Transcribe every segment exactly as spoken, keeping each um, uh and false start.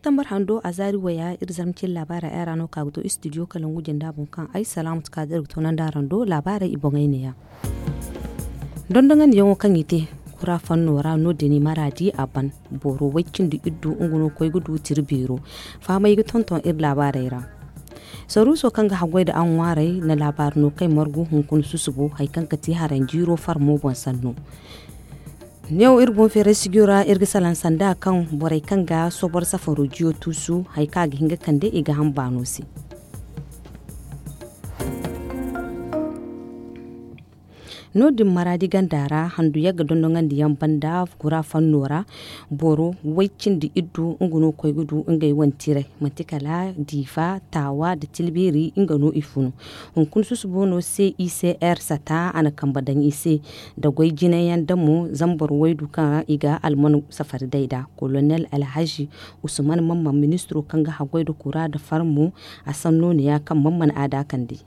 Septembar hando a zaari waya iri zarma cine laabaarey ay ra no ka ga to istidiyo kalangu jinda boŋ kaŋ ay salaamu tuka da iri ga toonandi araŋ do laabaarey i boŋey neeya. Dondonandiyaŋo kaŋ i te kura fanno ra no- din i maraadi a ban. Boro way cindi iddu nga no koy ga du tira beero. Fahamey ga tonton iri laabaarey ra. Saruuso kaŋ ga haggoy nda aŋwaarey na laabaari no kay margu hunkuna susubo hari kaŋ ga ti haranjiiro farmo boŋ sanno. Neewo iri boŋ feeray sijiyo ra iri ga salaŋ sanda kaŋ borey kaŋ ga sobor safaro jiyo tuusu hari kaŋ a ga hin ga kande i ga hamba no se. No- din maraadi ganda ra handu yagga dondoŋandiyaŋ banda kura fanno ra boro way cindi iddu nga no koy ga du ngey wane tiray manti kala diifa taawa nda tilbeeri nga no i funu. Hunkuna susubo no se i se r sata a na kambe daŋ i se nda goy jinayaŋ damo zambar waydu kaŋ i ga alman safari day nd'a. Kolonel alhazi usman mamman ministiro kaŋ ga haggoy nda kura nda farmo a sanno ne ya kaŋ mamman aada kande.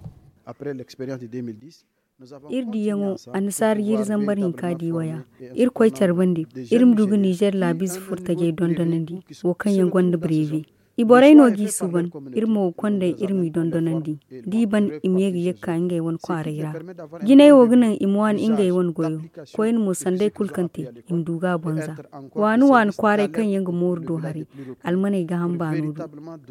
Iri diyaŋo annasaara jiiri zambar hinka di waya. Iri koy care bande iri ma du ga nizer laabiize furtajey dondonandi wo kaŋ yaŋ gonda bareebe. I borey no g'i suuban. Iri mo ga konday iri m'i dondonandi da i ban i ma ye ga ye ga ka ngey wane kwaaray ra. Jinay wo ga naŋ i ma waani ngey wane goyo. Koyne mo sanday kulu kaŋ te i ma du ga a bonza. Waani waani kwaaray kaŋ yaŋ ga mooru do haray almaney ga hamba no du.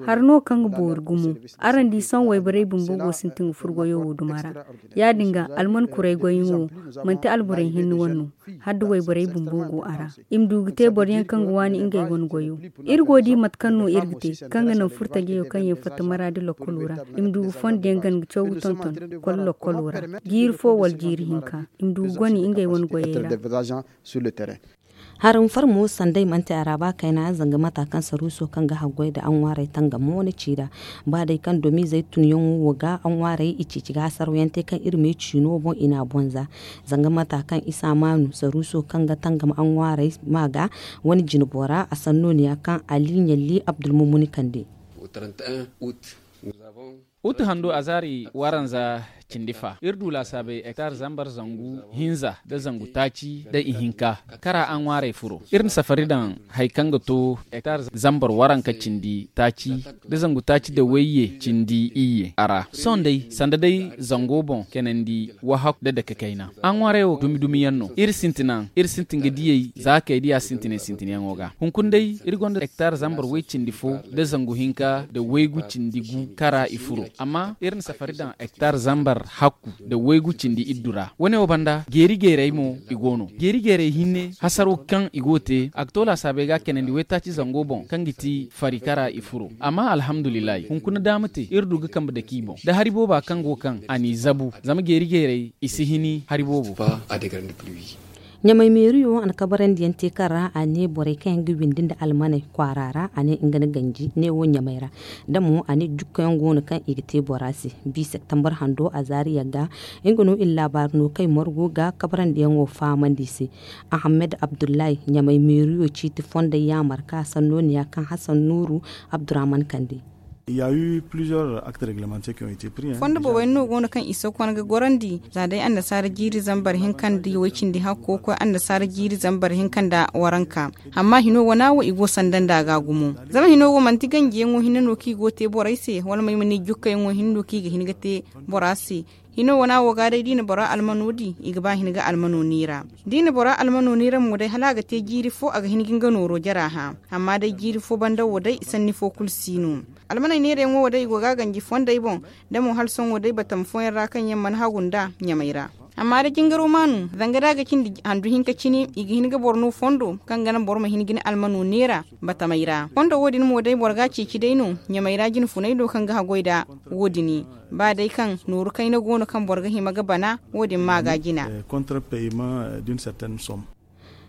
Hari no kaŋ ga boori gumo. Araŋ di sohõ wayborey bumbo go sintin ga furo goyo wo duma ra. Ya- din ga alman kuray goyyaŋo wo manti alborey hinne wane no. Hala da wayborey bumbo go a ra i ma du ga te boro yaŋ kaŋ ga waani ngey wane goyo. Iri go ga di mate kaŋ no iri ga te kaŋ ga naŋ furtajeyo kaŋ yaŋ fatta maraadi lokkolo ra i ma du ga fondo yaŋ gana ga caw ga tonton ga kole lokkolo ra jiiri fo wala jiiri hinka i ma du ga goni ngey wane goyey ra. Haraŋ farmo sanday manti a ra ba kayna zanga mata kaŋ saruuso kaŋ ga haggoy nda aŋwaarey tangamo wane ci nd'a. Ba day kaŋ domiizey tunyaŋo wo ga aŋwaarey i ceeci ga hasaraw yaŋ te kaŋ iri me ciino boŋ i n'a bonza. Zanga mata kaŋ isa maanu saruuso kaŋ ga tangam aŋwaarey ma ga wane jinbora a sanno ne ya kaŋ ali ɲalli abdulmumuni kande. Utu hando a zaari waranza cindi fa iri du laasaabey hektar zambar zangu hinza nda zangu taaci nda ihinka kara a ŋwaarey furo iri na safari daŋ hari kaŋ ga to hektar zambar waranka cindi taaci nda zangu taaci nda wayye cindi iyye a ra sohõ day sanda day zango boŋ keenandi wahakku nda dake kayna a ŋwaarey wo dumi dumi yaŋ no iri sintina iri sintin ga diyey za kay diya sintinay sintinyaŋo ga hunkuna day iri gonda hektar zambar way cindi fo nda zangu hinka nda waygu cindi gu kara i furo amma iri na safari daŋ hektar zambar hakku nda waygu cindi iddu ra wane wo banda geeri geerey mo i go no geeri geerey hinne hasaro kaŋ i go ga te a ga to laasaabey ga a keenandi waytaaci zango boŋ kaŋ ga ti fari kara i furo amma alhamdulillahi hunkuna daama te iri du ga kambe dake i boŋ da hari booba kaŋ go kaŋ a n'i zabu zama geeri geerey i si hini hari boobo. Ɲamay meeriyo a na kabarandiyaŋ te kaŋ ra a ne borey kaŋ yaŋ ga windi nda almaney kwaara ra a ne nga na ganji ne wo ɲamay ra da mo a ne jukkayaŋ go no kaŋ i ga te bora se. Bi septembar hando a zaari yagga nga no iri laabaari no kay margu ga kabarandiyaŋo fahamandi i se. Ahammed abdullahi ɲamay meeriyo ciiti fondey yaamar ka sanno ne ya kaŋ hasan nuuru abdurrahman kande. Fondo boobay no go no kaŋ i sokon ga gorandi za day annasaara jiiri zambar hinka nda way cindi hakko koy annasaara jiiri zambar hinka nda waranka. Amma hino wana wo i go sanda nda ga gumo zama hino wo manti ganjiyaŋo hinne no kaŋ i go te borey se wala may ma ne jukkayaŋo hinne no kaŋ i ga hin ga te bora se. Hino wana wo ga day da i na bora almano di i ga ba hin ga almano neera da i na bora almano neera mo day hala a ga te jiiri fo a ga hin ga nga nooro jara hã. Amma day jiiri fo banda wo day sanni fo kulu si no. Almaney neerayaŋo wo day i go ga a ganji fondey boŋ da mo hala sohõ wo day batama fooyaŋ ra kaŋ yaŋ mana hagu nda ɲamay ra. Amma da jingaro maanu zanga da a ga cindi handu hinka cine i ga hin ga boro no fondo kaŋ ga naŋ boro ma hin ga ni almano neera batamey ra fondo wo- din mo day boro ga a ceeci day no ɲamay ra jine funay do kaŋ ga haggoy nda wo- din. Ba day kaŋ nooru kayna go no kaŋ boro ga hima ga bana wo- din ma ga jina.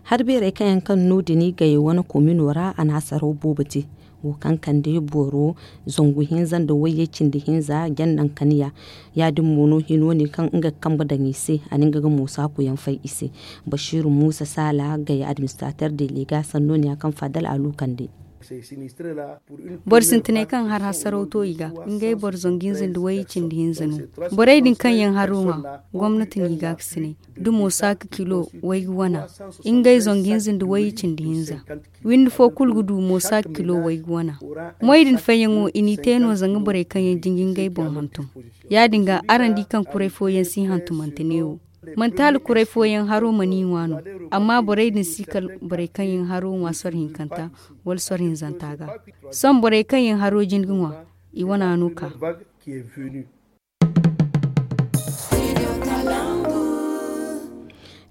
Hari beerey kaŋ yaŋ kaŋ no- din gayey wane komino ra a na hasaraw boobo te. Wo kaŋ kande boro zangu hinza nda wayye cindi hinza jannaŋ kaniya. Ya- din mo no hino ne kaŋ nga ga kambe daŋ i se a na nga ga moosa kuyaŋ fay i se. Basiiru muusa saala gaya administrater delega sanno ne ya kaŋ fadal alu kande. Boro sintinay kaŋ har hasaraw to i ga, ngey boro zangu hinza nda wayye cindi hinza no. Borey din kaŋ yaŋ haro ŋwa, gomnati n'i gaakasinay. Da mo saaka kilo waygu wana, ngey zangu hinza nda wayye cindi hinza. Windi fo kulu ga du mo saaka kilo waygu wana. Moy din fayyaŋo i n'i te no zanga borey kaŋ yaŋ jinji ngey boŋ hantum. Ya- din ga araŋ di kaŋ kuray fooyaŋ si hantumante neewo. Manti hala kuray fooyaŋ haro mana i ŋwa no, amma borey din si kala borey kaŋ yaŋ haro ŋwa soro hinkanta wala soro hinzanta ga. Sohõ borey kaŋ yaŋ haro jin ga ŋwa, i wana no ka.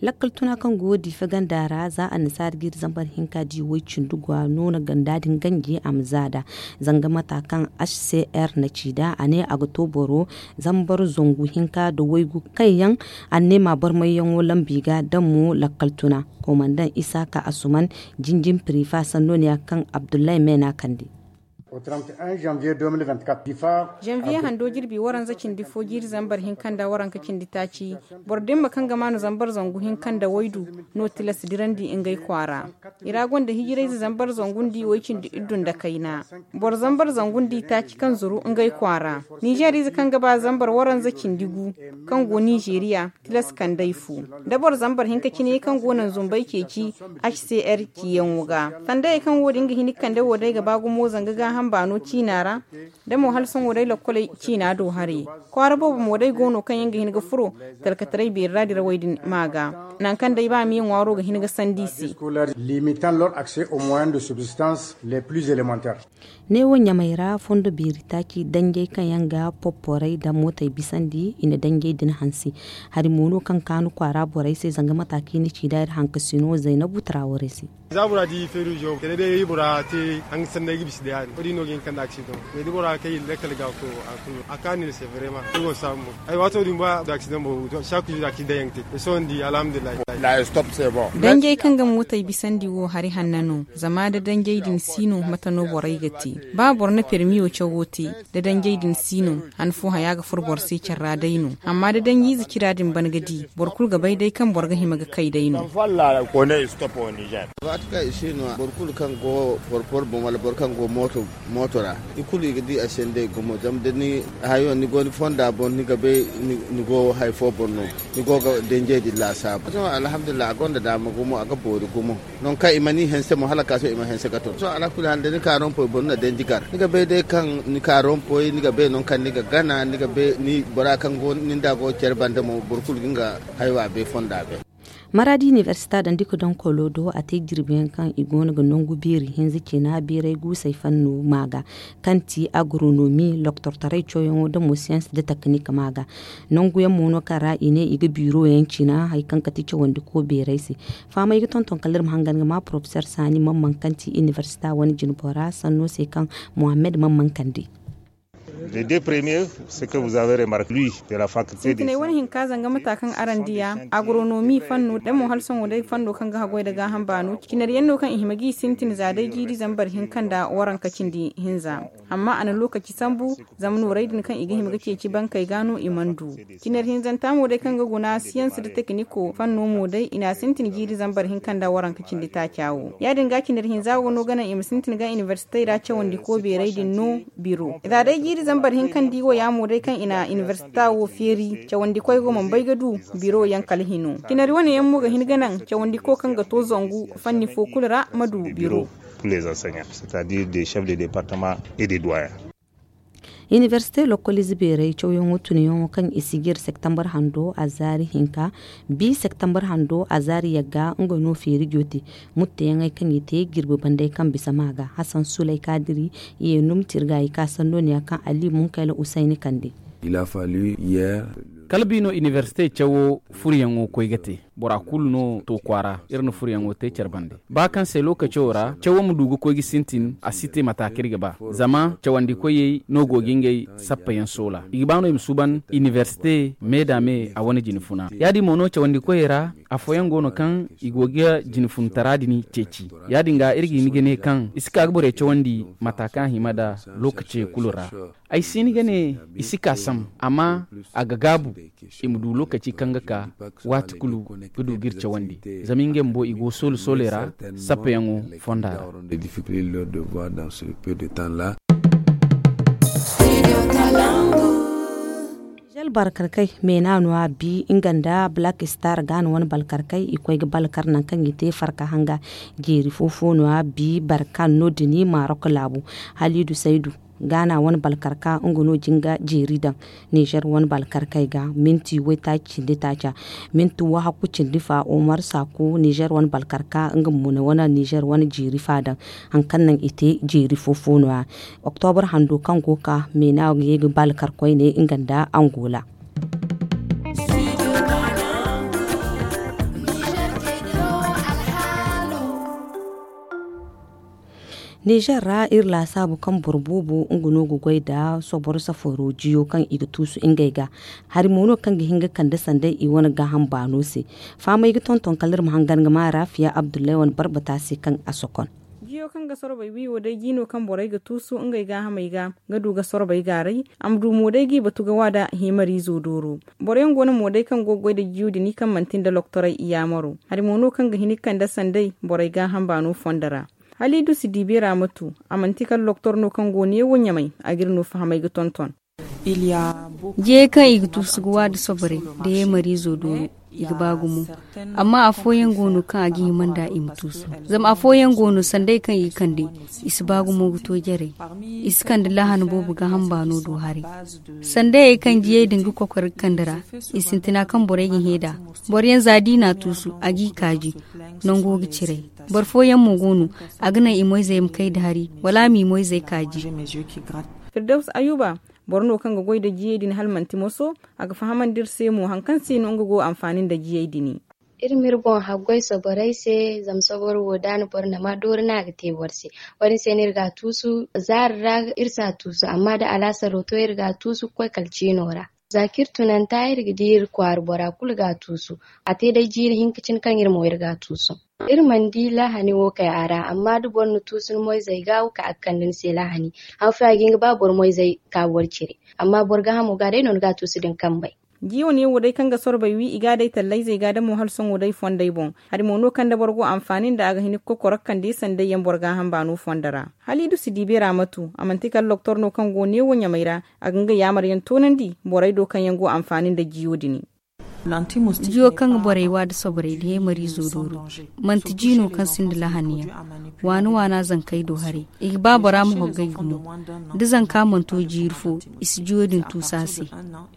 Lakkal tuna kaŋ go diife ganda ra za annasaara jiiri zambar hinka di way cindi gwa no na ganda din ganji a ma za da. Zanga mata kaŋ h c r na ci da a ne a ga to boro zambar zangu hinka da waygu kaŋ yaŋ a ne ma barmayyaŋo lambi ga damo lakkal tuna. Komandan isaka asuman jinjin pirifa sanno ne ya kaŋ abdullahi mena kande. Janvier hando jirbi waranza cindi fo jiiri zambar hinka nda waranka cindi taaci. Boro dimma kaŋ ga maanu zambar zangu hinka nda waydu no tilas dirandi ngey kwaara. I ra gonda hijirayze zambar zangu nda i way cindi iddu nda kayna. Boro zambar zangu nda i taaci kaŋ zuru ngey kwaara. Nizeer ize kaŋ ga ba zambar waranza cindi gu kaŋ go nizeeriya, tilas kandey fu da boro zambar hinka cine kaŋ go naŋ zumbey ceeci. H c r ciyaŋo ga sandayey kaŋ wo- din ga hin ga kande wo day ga ba gumo zanga gaaham baano ciina ra. Da mo hala sohõ day lokkoley ciina do haray. Kwaara boobo mo day go no kaŋ yaŋ ga hin ga furo talkataray beeri ra dirawey din ma ga nangu kaŋ day ba miya ŋwaaro ga hin ga sandi i se. Limitant leur accès aux moyens de subsistance les plus élémentaires. Neewo ɲamay ra fondo beeri taaci danjey kaŋ yaŋ ga popporay da mootey bisandi i na danjey din hansi. Hari mo no kaŋ kaanu kwaara borey se zanga mata kaŋ i na ci da iri hankasino zaynabu tarawarey se. Za bora di feeru zo kala day bora te hanga sanda ga bisa da yaadin wo- din no ga hin kanda aksidan. Mais da bora kay lakkal ga ko a kulu a kaani ne se vraiment. Ay go saabu mo ay waato din ba da aksidan bo. Saaku zo da aksidan yaŋ te. Sohõ ni di alhamdulillahi. Danjey kaŋ ga mootey bisandi wo hari hanna no. Zama da danjey din si no mate no borey ga te. Ba boro na permiyo cawo te da danjey din si no. Han fo haya ga furo boro se care ra day no. Amma da danjiize cira din ban ga di boro kulu ga bay day kaŋ boro ga hima ga kay day no. Waati kaŋ i si no boro kulu kaŋ go porpor boŋ wala boro kaŋ go mooto ra i kulu i ga di a se nd'ey gumo zama da ni hayo ni go ni fonda boŋ ni ga bay ni go hari fo boŋ no. Ni go ga danjey din laasaabu. Sohõ alhamdulillahi a gonda daama gumo a ga boori gumo. Nangu kaŋ i mana i hanse mo hala ka sohõ i ma hanse ga ton sohõ alakuli hal da ni ka rompoy boro na danji gar ni ga bay day kaŋ ni ka rompoy ni ga bay nangu kaŋ ni ga gana ni ga bay ni bora kaŋ go ni nda go care banda mo boro kulu ga nga haywa bay fonda bay. Maradi inibersita dandi ga daŋ kolo do a te jirbi yaŋ kaŋ i go no ga nangu beeri hinza cina beeray guusay fanno ma ga kaŋ ti agronomi loktortaray cawyaŋo da mo siyans da teknik ma ga. Nangu yaŋ mo no kaŋ ra i ne i ga biiro yaŋ cina hari kaŋ ga ti cawandi ko beeray se. Fahamay ga tonton kala iri ma hangan ga ma porofesor saani mamman kaŋ ti inibersita wane jinbora sanno se kaŋ mohammed mamman kande. Sintinay wane hinka zanga mata kaŋ araŋ diya agronomi fanno da mo hala sohõ day fanno kaŋ ga haggoy nda gaaham baano cinari yaŋ no kaŋ i hima ga i sintin za day jiiri zambar hinka nda waranka cindi hinza. Amma a na lokaci sambu zama nooray din kaŋ i ga hima ga ceeci bankey ga no i mana du. Cinar hinzanta mo day kaŋ ga guna siyans nda tekiniko fanno mo day i n'a sintin jiiri zambar hinka nda waranka cindi taaca wo ya- din ga cinar hinza wo no ga naŋ i ma sintin ga inibersitey ra cawandiko beeray din no. Biro za day jiiri zambar hinka nda i wo ya mo day kaŋ i na inibersita wo feeri cawandikoy go mana bay ga du biro yaŋ kala hino. Cinar wane yaŋ mo ga hin ga naŋ cawandiko kaŋ ga to zangu fanni fo kulu ra ma du biro. Inibersite lokkolize beeray cawyaŋo tunyaŋo kaŋ i si jire septembar hando a zaari hinka bi septembar hando a zaari yagga nga no feeri jooti. Mutteyaŋey kaŋ i te jirbi bandey kaŋ bisa ma ga hasan sulay kaadiri i ye num tirga i ka sanno ne ya kaŋ ali munkayla usayni kande. Kala bi no inibersite cawo furyaŋo koy ga te. Bora kulu no to kwaara iri na furyaŋo te care bande ba kaŋ se lookaco ra cawo ma du ga koy ga sintin a si te mata kaŋ iri ga ba. Zama cawandikoyey no go ga ngey sappayaŋ soola i ga ba no i ma suuban inibersite me da me a wane jine funa ya- din mo no cawandikoyey ra. Afooyaŋ go no kaŋ i go ga jine funtara din ceeci ya- din ga iri ga hin ga ne kaŋ i si ka ga borey cawandi mata kaŋ a hima nda lookacey kulu ra. Ay si hin ga ne i si ka sam amma a ga gaabu i ma du lookaci kaŋ ga ka waati kulu. ga du ga iri cawandi. Zama ngey bumbo i go soole sooley ra sappeyaŋo fonda ra. Nizer balkarkey meena no a bi nga nda black star ga no wane balkarkey i koy ga balkar nangu kaŋ i te farka hanga jeeri fo fo no a bi barkan no- din marok laabu. Halidu saydu gaana wane balkarka nga no jinga jeeri daŋ. Nizer wane balkarkey ga minti waytaaci cindi taaca. Minti wahakku cindi fa omar saaku nizer wane balkarka nga mo na wane nizer wane jeeri fa daŋ. Hari kaŋ naŋ i te jeeri fo fo no- ya. Oktobor hando kaŋ go ga ka meena ga ye ga balkar koyne nga nda angola. Nizer ra iri laasaabu kaŋ boro boobo nga no ga goy nda soboro safaro jiyo kaŋ i ga tuusu ngey ga. Hari mo no kaŋ ga hin ga kande sanday i wane gaaham baano se. Fahamay ga tonton kala iri ma hangan ga ma raafiya abdullahi wane barbata se kaŋ a sokon. Jiyo kaŋ ga sorbay wi wo day ji no kaŋ borey ga tuusu ngey gaahamey ga ga du ga sorbay gaaray. A ma du mo day g'i batu ga wa nda himariizo dooro. Boro yaŋ go no mo day kaŋ go ga goy nda jiyo din kaŋ manti nda loktoray i yaamaro. Hari mo no kaŋ ga hin ga kande sanday borey gaaham baano fondo ra. Haliidu si di beera ma tu. A manti kala loktor no kaŋ go neewo ɲamay a g'iri no fahamay ga tonton. Jiyey kaŋ i ga tuusu ga wa nda soborey nda heemariizo dooro i ga ba gumo. Amma afooyaŋ go no kaŋ a ga hima nd'a i ma tuusu. Zama afooyaŋ go no sanday kaŋ i ga kande i si ba gumo ga to jarey. I si kande laahana boobo gaaham baano do haray. Sandayey kaŋ jiyey din ga kokor ga kande ra i sintina kaŋ borey ga hẽ nd'a. Boro yaŋ za d'i n'a tuusu a g'i kaaji. Nango ga ciray. Boro fooyaŋ mo go no a ga naŋ i moyzey ma kay nda hari wala a m'i moyzey kaaji. Firdaws ayuba, boro no kaŋ ga goy nda jiyey din hala manti moso. A ga fahamandi iri se mo hari kaŋ se no nga go anfaani nda jiyey din. Iri ma iri boŋ haggoy soborey se. Zama soboro wo da a na boro nama doori no a ga te boro se. Wo- din se no iri ga a tuusu. Zaari ra iri si a tuusu amma da alaasaro to iri ga a tuusu ga koy kala ciino ra. Za kaŋ iri tunanta iri ga di iri kwaara bora kulu ga a tuusu. A te day jiiri hinka cine kaŋ iri mo iri ga a tuusu. Iri mana di laahani wo kay a ra amma da boro na tuusu ni moyzey ga wo kaŋ a ga kande ni se laahani. Haŋ fooyaŋ a ga hin ga ba boro moyzey ka boro cire. Amma boro gaahamo ga day no ni ga a tuusu da ni kambey. Jiyo ne wo day kaŋ ga sorbay wi i ga a day tallayzey ga da mo hala sohõ day fondey boŋ. Hari mo no kaŋ da boro go anfaani nda a ga hin ga kokoro ga kande sanday yaŋ boro gaaham baano fondo ra. Haliidu si di beera ma tu a manti kala loktor no kaŋ go neewo ɲamay ra. A ga nga yaamar yaŋ toonandi borey do kaŋ yaŋ go anfaani nda jiyo din. Jiyo kaŋ ga borey wa nda soborey nda heemariizo dooro manti ji no kaŋ sinda lahani yaŋ. Waana waana zankey do haray i ga ba bora ma hoggay gumo. Da zanka mana to jiiri fo i si jiyo din tuusu a se.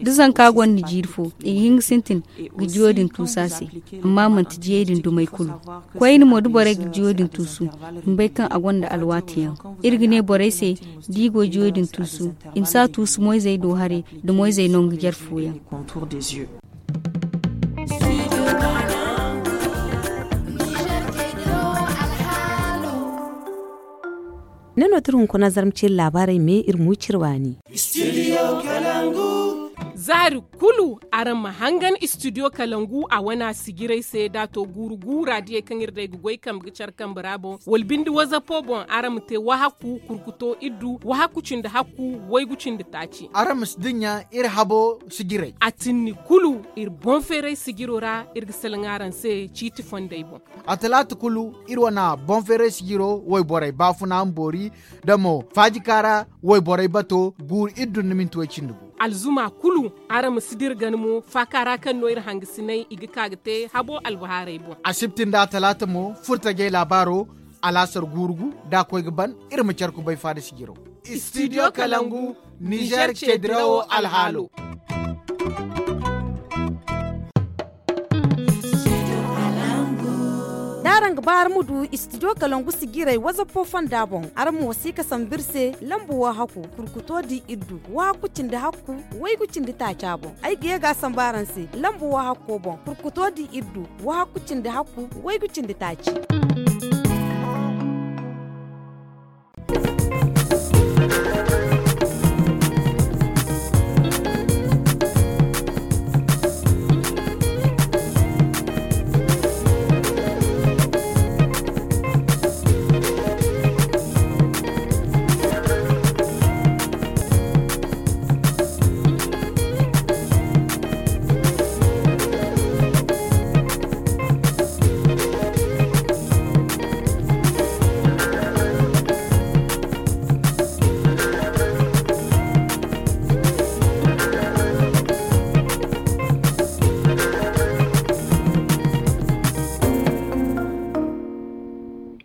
Da zanka gonda jiiri fo i ga hin ga sintin ga jiyo din tuusu a se. Amma manti jiyey din dumey kulu. Koyne mo da borey ga jiyo din tuusu i ma bay kaŋ a gonda alwaati yaŋ. Iri ga ne borey se da i go jiyo din tuusu i ma si a tuusu moyzey do haray nda moyzey nangu jare fooyaŋ. Ne no tira hunkuna zarma ciri laabaarey me iri mu ciri waani. Zaari kulu araŋ ma hangan istidiyo kalangu a wana sijiray se da a to guuru guura diyey kaŋ iri day ga goy kambe ga care kambe ra boŋ wala binde wazapo boŋ araŋ ma te wahakku kurkuto iddu wahakku cindi hakku waygu cindi taaci. Araŋ ma si dinya iri habo sijiray a tinni kulu iri boŋ feeray sijiro ra iri ga salaŋ araŋ se ciiti fondey boŋ. A talaata kulu iri wane boŋ feeray sijiro wayborey baafuna ma boori da mo faajika ra wayborey bato guuru iri dun na minti way cindi gu. Alzuma kulu araŋ ma si dira gana mo faaka ra kaŋ no iri hangasinay i ga ka ga te habo albahaarey boŋ. Asibti nda a talaata mo furtajey laabaaro alaasar guuru gu da a koy ga ban iri ma care kubay faada sijiro. Istidiyo kalangu nizer ceedirawo alhaalo. Da araŋ ga ba araŋ ma du istidiyo kalangu sijiray wazapo fonda boŋ araŋ ma wasiika sambu iri se lambu wahakku kurkuto di iddu wahakku cindi hakku waygu cindi taaca boŋ. Ay ga ye ga a sambu araŋ se lambu wahakko boŋ kurkuto di iddu wahakku cindi hakku waygu cindi taaci.